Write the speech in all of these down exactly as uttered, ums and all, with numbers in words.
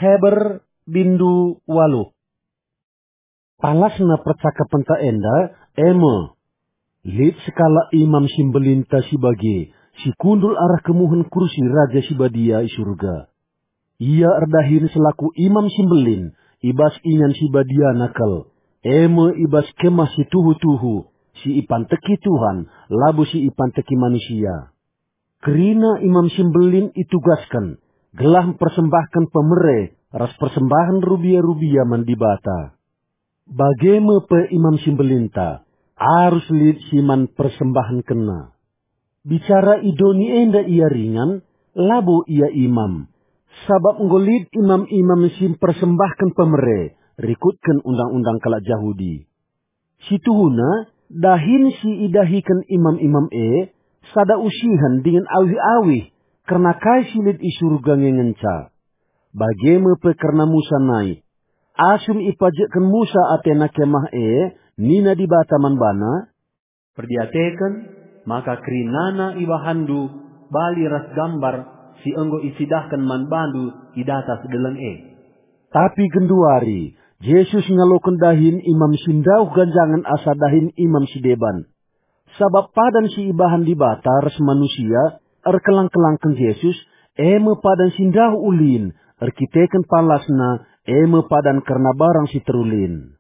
Heber bindu waluh. Palasna percakapenta enda e me, lit sekalak Imam si Mbelinta si bage, si kundul arah kemuhen kursi Raja si Badia i Surga. Ia erdahin selaku Imam si Mbelin i bas ingan si badiana kal, e me i bas kemah si tuhu-tuhu, si ipanteki Tuhan, labo si ipanteki manusia. Kerina Imam si Mbelin itugasken gelah mpersembahken pemere ras persembahen rubia-rubia man Dibata. Bage me pe Imam si Mbelinta, arus lit si man persembahenkenna. Bicara i doni enda ia ringan, labo ia imam, sabap enggo lit imam-imam si mpersembahken pemere rikutken undang-undang kalak Jahudi. Situhuna, dahin si idahiken imam-imam e, sada usihen dingen awih-awih kerna kai si lit i Surga nge ngenca. Bage me pe kerna Musa nai. Asum ipajekken Musa atena kemah e, nina Dibata man bana, "Perdiateken maka kerinana ibahanndu bali ras gambar si enggo icidahken man bandu i datas deleng e." Tapi genduari, Jesus ngaloken dahin imam si ndauh ganjangen asa dahin imam si deban. Sabap padan si ibahan Dibata ras manusia erkelang-kelangken Jesus, e me padan si ndauh ulin erkiteken palasna, e me padan kerna barang si terulin.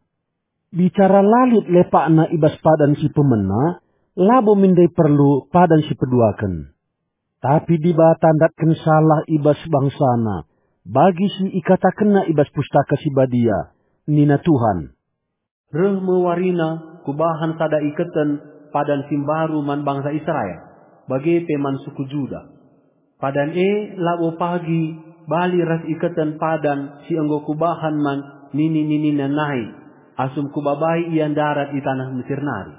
Bicara la lit lepakna i bas padan si pemena, labo min ndai perlu padan si peduaken. Tapi Dibata ndatken salah i bas bangsaNa, bagi si ikatakenNa i bas Pustaka Si Badia, nina Tuhan, "Reh me warina Kubahan sada iketen padan si mbaru man bangsa Israel, bage pe man suku Juda. Padan e labo pagi bali ras iketen padan si enggo Kubahan man nini-ninina nai, asum Kubabai ia ndarat i taneh Mesir nari.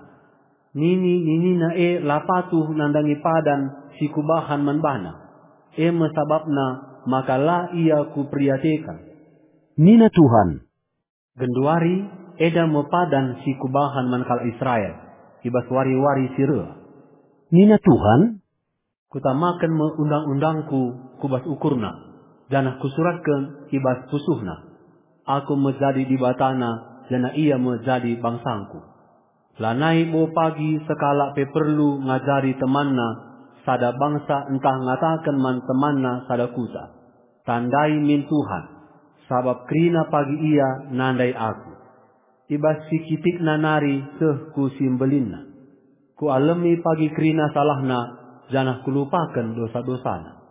Nini-ninina e la patuh nandangi padan si Kubahan man bana. E me sabapna maka la ia Kuperdiateken," nina Tuhan. "Genduari enda me padan si Kubahan man kalak Israel i bas wari-wari si reh," nina Tuhan. "Kutamaken me undang-undangKu ku bas ukurna, janah Kusuratken i bas pusuhna. Aku me jadi Dibatana, janah ia me jadi bangsangKu. Lanai bo pagi sekalak pe perlu ngajari temanna sada bangsa ntah ngataken man temanna sada kuta, 'Tandai min Tuhan,' sabap kerina pagi ia nandai Aku. I bas si kitikna nari seh ku si mbelinna. Kualemi pagi kerina salahna, janah Kulupaken dosa-dosana."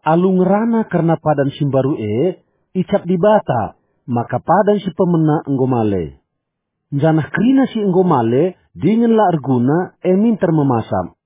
Alu ngerana kerna padan si mbaru e, icap Dibata maka padan si pemena enggo male. Janah kerina si enggo male dingen la erguna, e minter memasap.